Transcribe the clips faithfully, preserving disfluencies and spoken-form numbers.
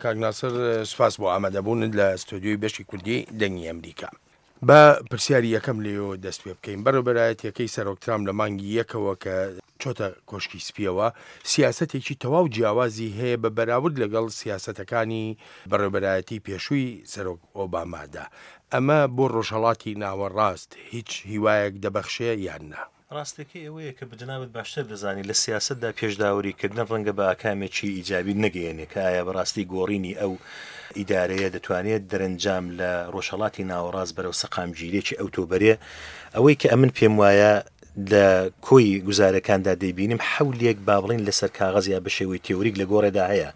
کاک ناسر، سوپاس بۆ ئامادەبوونت لە ستۆدیۆی بەشی کوردی دەنگی ئەمریکا. با پرسیاری یەکەم لێەوە دەست پێ بکەین. بەڕێوەبەرایەتیەکەی سەرۆک ترامپ لە مانگی یەکەوە کە چۆتە کۆشکی سپیەوە سیاسەتێکی تەواو جیاوازی هەیە بە بەراورد لەگەڵ سیاسەتەکانی بەڕێوەبەرایەتی پێشووی سەرۆک ئۆبامادا. ئەمە بۆ ڕۆژهەڵاتی ناوەڕاست هیچ هیوایەک دەبەخشێ یان نا؟ ڕاستەکەی ئەوەیە کە بەجەنابت باشتر دەزانی لە سیاسەتدا پێشداوریکردن ڕەنگە بە ئاکامێکی ئیجابی نەگەیەنێ کە ئایا بەڕاستی گۆڕینی ئەو ئیدارەیە دەتوانێت دەرەنجام لە ڕۆژهەڵاتی ناوەڕاست بەرەو سەقامگیریەکی ئەوتۆ بەرێ. ئەوەی کە ئەمن پێم وایە لە کۆی گوزارەکاندا دەیبینم حەولێک با بڵین لەسەر کاغەز یا بە شێوەی تێوریک لە گۆڕێدا هەیە.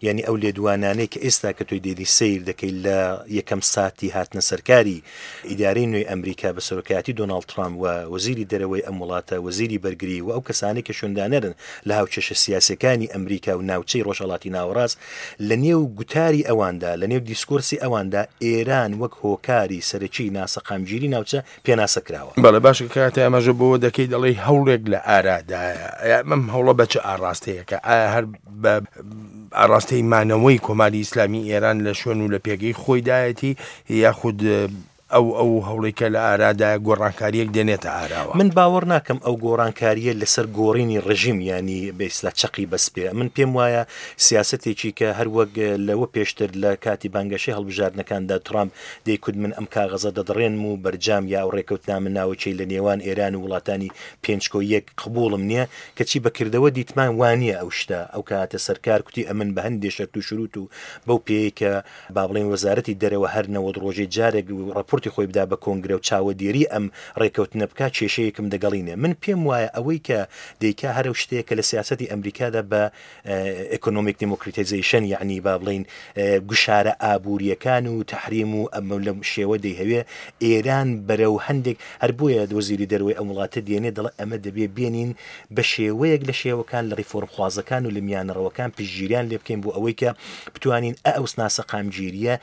یعنی ئەو لێدوانانەی کە ئێستا کە تۆی دێنی سەیر دەکەی لە یەکەم ساتی هاتنە سەرکاری ئیدارەی نوێی ئەمریکا بە سەرۆکایەتی دۆناڵد ترامپ و وەزیری دەرەوەی ئەم وڵاتە، وەزیری بەرگری و ئەو کەسانەی کە شوێندانەرن لە هاوکێشە سیاسیەکانی ئەمریکا و ناوچەی ڕۆژهەڵاتی ناوەڕاست، لە نێو گوتاری ئەواندا، لە نێو دیسکۆرسی ئەواندا ئێران وەک هۆکاری سەرەکی ناسەقامگیری ناوچە پێناسە کراوە. بەڵێ باشە، کاتێ ئاماژە بۆ دەکەی دەڵێی هەوڵێک لە ئارادایە، ئەم هەوڵە بە چ ئاراستەیەکە؟ ئایا هەر بە ئاراستەی مانەوەی کۆماری ئیسلامی ئێران لە شوێن و لە پێگەی خۆیدایەتی یاخود ئەو ئەو هەوڵێکە لە ئارادایە گۆڕانکاریەک دێنێتە ئاراوە؟ من باوەڕ ناکەم ئەو گۆڕانکاریە لەسەر گۆڕینی ڕژیم، ینی بە ئیسلا چەقی بەس بێ. من پێم وایە سیاسەتێکی کە هەروەک لەوە پێشتر لە کاتی بانگەشەی هەڵبژاردنەکاندا ترامپ دەیکوت من ئەم کاغەزە دەدڕێنم و بەرجام یا ئەو ڕێکەوتنامە ناوەکەی لە نێوان ئێران و وڵاتانی پێنج کۆ یەک قبوڵم نییە، کەچی بەکردەوە دیتمان وانییە ئەو شتە. ئەو کاتە سەرکار کوتی ئەمن بە هەندێ شەرت و شروط و بەو پێیە کە با بڵێن وەزارەتی دەرەوە هەر نەوەد ڕۆژەی جارێک ڕەپۆرتی خۆی بدا بە کۆنگرە و چاوەدێری ئەم ڕێکەوتنە بکا کێشەیەکم دەگەڵینێ. من پێم وایە ئەوەی کە دەیکا هەر ئەو شتەیە کە لە سیاسەتی ئەمریکادا بە economic democratization، یعنی با بڵین گوشارە ئابووریەکان و تەحریم و ئەمە لەم شێوە دەیهەوێ ئێران بەرەو هەندێک، هەر بۆیە وەزیری دەرەوەی ئەم وڵاتە دێنێ دەڵێ ئەمە دەبێ بێنین بە شێوەیەک لە شێوەکان لە ڕیفۆرمخوازەکان و لە میانەڕەوەکان پشتگیریان لێ بکەین بۆ ئەوەی کە بتوانین ئەو ناسەقامگیریە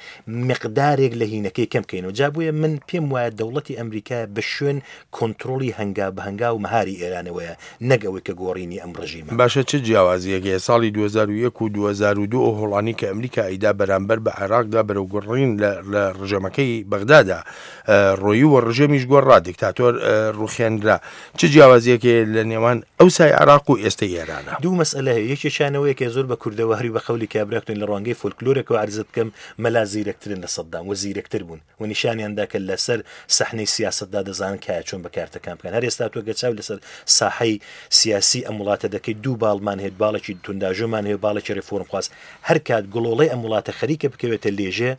مقدارێک لە هینەکەی کەم بکەینەوە. جا بۆیە من پێم وایە دەوڵەتی ئەمریکا بە شوێن کۆنترۆڵی هەنگاو بە هەنگاو مەهاری ئێرانەوەیە، نەک ئەوەی کە گۆڕینی ئەم ڕژیمە. باشە، چه جیاوازیەک هەیە ساڵی دوو هەزار و یەک و دوو هەزار و دوو ئەو هەوڵانی کە ئەمریکا ئەیدا بەرامبەر بە عێراقدا بەرەو گۆڕین لە ڕژێمەکەی بەغدادا ڕۆیی و ڕژێمیش گۆڕا، دیکتاتۆر ڕوخێنرا. چه جیاوازیەک هەیە لە نێوان ئەو سای عێراق و ئێستای ئێرانە؟ دوو مەسئلە هەیە. یەکێکیانەوەیە کە زۆر بە کوردەواری بە قەولی کابراکتون لە ڕوانگەی فۆلکلۆرێکەوە عەرزت بکەم، مەلا زیرەکترن لە سەدام و زیرەکتر بوون و نیشانیان دا کە لەسەر سەحنەی سیاسەتدا دەزانن کە چۆن بەکارتەکان بکەن. هەر ئێستا تۆ گەچاو لەسەر ساحەی سیاسی ئەم وڵاتە دەکەی دوو باڵمان هەیە، باڵێکی تونداژۆمان هەیە، باڵێکی ڕیفۆرمخواز. هەر کات گڵۆڵەی ئەم وڵاتە خەریکە بکەوێتە لێژێ،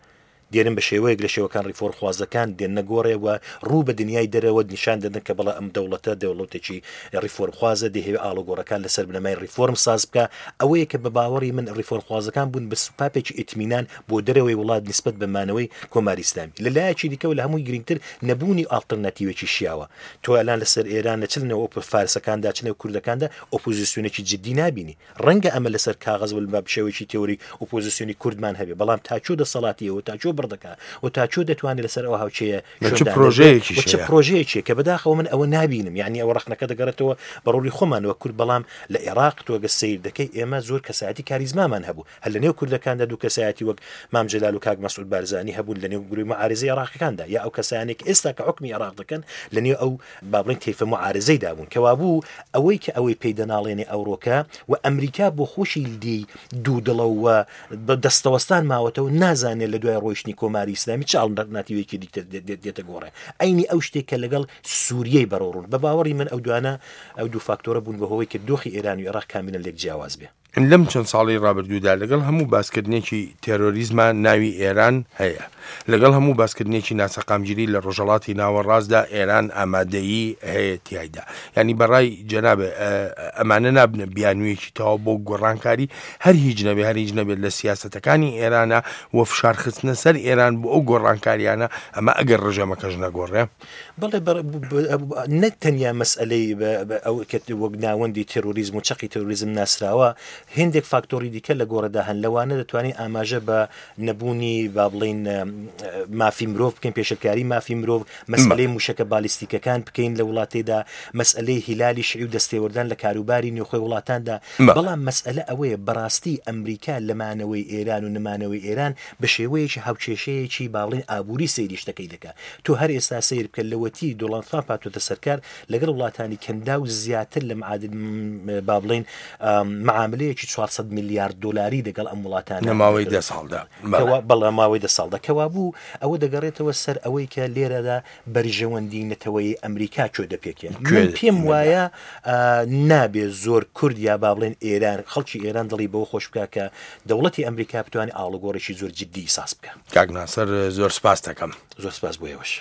دێنن بە شێوەیەک لە شێوەکان ڕیفۆرمخوازەکان دێنە گۆڕێ و ڕوو بە دنیای دەرەوە نیشان دەدەن کە بەڵێ ئەم دەوڵەتە دەوڵەتێکی ڕیفۆرمخوازە، دەیهەوێ ئاڵوگۆڕەکان لەسەر بنەمای ڕیفۆرم ساز بکە. ئەوەیە کە بە باوەڕی من ڕیفۆرمخوازەکان بوون بە سوپاپێکی ئیتمینان بۆ دەرەوەی وڵات نسبەت بە مانەوەی کۆماری ئیسلامی. لە لایەکی دیکەوە لە هەمووی گرنگتر نەبوونی ئاڵتەرناتیوێکی شیاوە. تۆ ئەلان لەسەر ئێران لە چ نێو فارسەکاندا، چ نێو کوردەکاندا ئۆپۆزیسیۆنێکی جدی نابینی. ڕەنگە ئەمە لەسەر کاغەز و بە شێوەیەکی تێوری ئۆپۆزیسیۆنی کوردمان هەبێ، بەڵام تا چۆ دەسەڵاتیەوە، تا چۆ بڕدەکا و تا چۆ دەتوانێت لەسەر ئەو هاوچەیە چ پرۆژەیەکی چ پرۆژەیەکی کە بەداخەوە من ئەوە نابینم. یعنی ئەوە ڕەخنەکە دەگەڕێتەوە بە ڕۆڵی خۆمانەوە کورد، بەڵام لە عێراق تۆ ئەگەر سەیر دەکەی ئێمە زۆر کەسایەتی کاریزمامان هەبوو. هەر لە نێو کوردەکاندا دوو کەسایەتی وەک مام جەلال و کاک مەسعود بارزانی هەبوون لە نێو گرووی معارزەی عێراقەکاندا، یا ئەو کەسانێک ئێستا کە حکمی عێراق دەکەن لە نێو ئەو با بڵێن تەیفە معارزەیدا بوون. کەوابوو ئەوەی کە ئەوەی پێی دەناڵێنێ ئەوڕۆکە و ئەمریکا بۆ خۆشی دی دوو دڵەوە بە دەستەوەستان ماوەتەوە، نازانێت لە دوای ڕۆیشتنی کۆماری ئیسلامی چ ئاڵتەرناتیوێکی دیکە دێتە گۆڕێ. ئەینی ئەو شتێک کە لەگەڵ سووریەی بەرەوڕوون. بە باوەڕی من ئەو دوانە ئەو دوو فاکتۆرە بوون بەهۆی کە دۆخی ئێران و عێراق کاملا لێک جیاواز بێ. لەم چەند ساڵی ڕابردوودا لەگەڵ هەموو باسکردنێکی تێرۆریزما ناوی ئێران هەیە، لەگەڵ هەموو باسکردنێکی ناسەقامگیری لە ڕۆژهەڵاتی ناوەڕاستدا ئێران ئامادەیی هەیە تیایدا. یعنی بەڕای جەنابێ ئەمانە نابنە بیانوویەکی تەواو بۆ گۆڕانکاری، هەر هیچ نەبێ، هەر هیچ نەبێت لە سیاسەتەکانی ئێرانە و فشارخستنە سەر ئێران بۆ ئەو گۆڕانکاریانە، ئەمە ئەگەر ڕژێمەکەش نەگۆڕێ. بەڵێ، نەک تەنیا مەسئلەی ئەو کە وەک ناوەندی تێرۆریزم و چەقی تێرۆریزم ناسراوە، هندێک فاکتۆری دیکە لە گۆڕەدا هەن، لەوانە دەتوانین ئاماژە بە نەبوونی با بڵین مافی مرۆڤ بکەین، پێشلکاری مافی مرۆڤ، مەسئلەی موشەکە بالیستیکەکان بکەین لە وڵاتێدا، مەسئلەی هیلالی شیعی و دەستێوەردان لە کاروباری نێوخۆی وڵاتاندا. بەڵام مەسئلە ئەوەیە بەڕاستی ئەمریکا لەمانەوەی ئێران و نەمانەوەی ئێران بە شێوەیەکی هاوکێشەیەکی باڵین ئابووری سەیری شتەکەی دەکات. تۆ هەر ئێستا سەیر بکە لەوەتی دۆناڵد ترامپ هاتووەتە سەرکار لەگەڵ وڵاتانی کەندا و زیاتر لە معادل با بڵین معاملەیەکی چوار سەد میلیارد دلاری لەگەڵ ئەم وڵاتانە لە ماوەی دە ساڵدا. بەڵێ ماوەی دە ساڵدا. کەوابوو ئەوە دەگەڕێتەوە سەر ئەوەی کە لێرەدا بەرژەوەندی نەتەوەی ئەمریکا کوێ دەپێکێن. من پێم وایە نابێ زۆر کورد یا با بڵێن ئێران، خەڵکی ئێران دڵی بەوە خۆش بکە کە دەوڵەتی ئەمریکا بتوانێت ئاڵوگۆڕێکی زۆر جدی ساز بکە. کاک ناسر زۆر سپاس دەکەم. زۆر سپاس بۆ ئێوەش.